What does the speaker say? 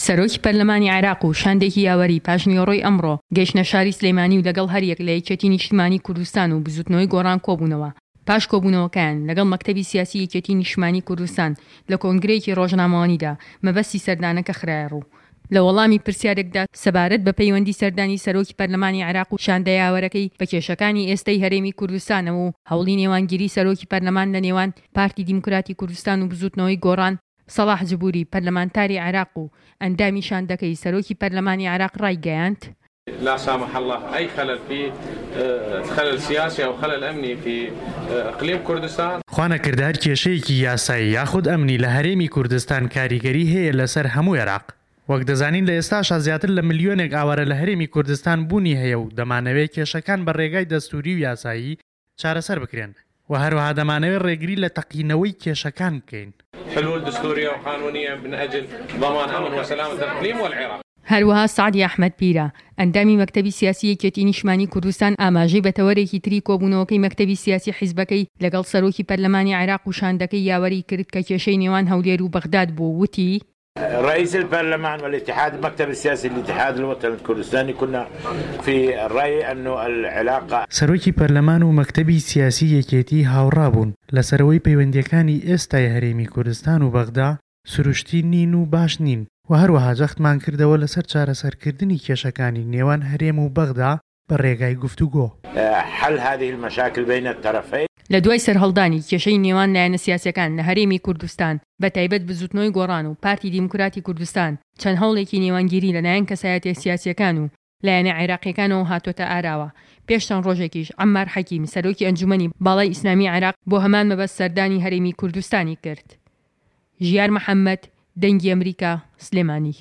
سەرۆکی پەرلەمانی عێراق و شاندێکی یاوەری پاشنیوەڕۆی ئەمڕۆ گەیشتنە شاری سلێمانی و لەگەڵ هەریەک لە یەکێتی نیشتمانی کوردستان و بزوتنەوەی گۆڕان کۆبوونەوە. پاش کۆبوونەوەکەیان لەگەڵ مەکتەبی سیاسی یەکێتی نیشتمانی کوردستان لە کۆنگرەیەکی ڕۆژنامەوانیدا مەبەستی سەردانەکە خرایەڕوو. لە وەڵامی پرسیارێکدا سەبارەت بە پەیوەندی سەردانی سەرۆکی پەرلەمانی عێراق و شاندە یاوەرەکەی بە کێشەکانی ئێستەی هەرێمی کوردستانەوە و هەوڵی نێوانگیری سەرۆکی پەرلەمان لە نێوان پارتی دیموکراتی کوردستان و بزوتنەوەی گۆڕان، سەڵاح جبوری، پەرلەمانتاری عێراق و ئەندامی شاندەکەی سەرۆکی پەرلەمانی عێراق ڕایگەیاند، لا سامح اللە ای خلل فی خلل سیاسی او خلل امنی فی اقلیم کوردستان. خوانەکردە هەر کێشەیەکی یاسایی یاخود ئەمنی لە هەرێمی کوردستان کاریگەری هەیە لەسەر هەموو عێراق. وەک دەزانین لە ئێستاشا زیاتر لە ملیۆنێک ئاوارە لە هەرێمی کوردستان بوونی هەیە و دەمانەوێ کێشەکان بە رێگای دەستووری و یاسایی چارەسەر بکرێن و هەروەها دەمانەوێت ڕێگری لە تەقینەوەی کێشەکان بکەین. حلول دستوریە و قانونیە من اجل ضمان امن و سلامە الاقلیم و العراق. هەروەها سەعدی ئەحمەد پیرە، ئەندامی مەکتەبی سیاسی یەکێتی نیشتمانی کوردستان ئاماژەی بە تەوەرێکی تری کۆبوونەوەکەی مەکتەبی سیاسی حیزبەکەی لەگەڵ سەرۆکی پەرلەمانی عێراق و شاندەکەی یاوەری کرد کە کێشەی نێوان هەولێر و بەغداد بوو وتی، رئيس البرلمان والاتحاد المكتب السياسي للاتحاد الوطني الكردستاني كنا في الرأي أن العلاقة. سەرۆکی پەرلەمان و مەکتەبی سیاسی یەکێتی هاوڕا بوون لەسەر ئەوەی پەیوەندییەکانی ئێستای هەرێمی کوردستان و بەغدا سروشتی نین و باش نین و هەروەها جەختمان کردەوە لەسەر چارەسەرکردنی کێشەکانی نێوان هەرێم و بەغدا بە رێگای گفتوگۆ. حل هذه المشاکل بین الطرفین. لە دوای سەرهەڵدانی کێشەی نێوان لایەنە سیاسیەکان لە هەرێمی کوردستان بە تایبەت بزوتنەوەی گۆڕان و پارتی دیموکراتی کوردستان چەند هەوڵێکی نێوانگیری لە لایەن کەسایەتیە سیاسیەکان و لایەنە عێراقیەکانەوە هاتۆتە ئاراوە پێش چەند ڕۆژێکیش عەممار حەکیم سەرۆکی ئەنجومەنی باڵای ئیسلامی عێراق بۆ هەمان مەبەست سەردانی هەرێمی کوردستانی کرد. ژیار محەمەد، دەنگی ئەمریکا، سلێمانی.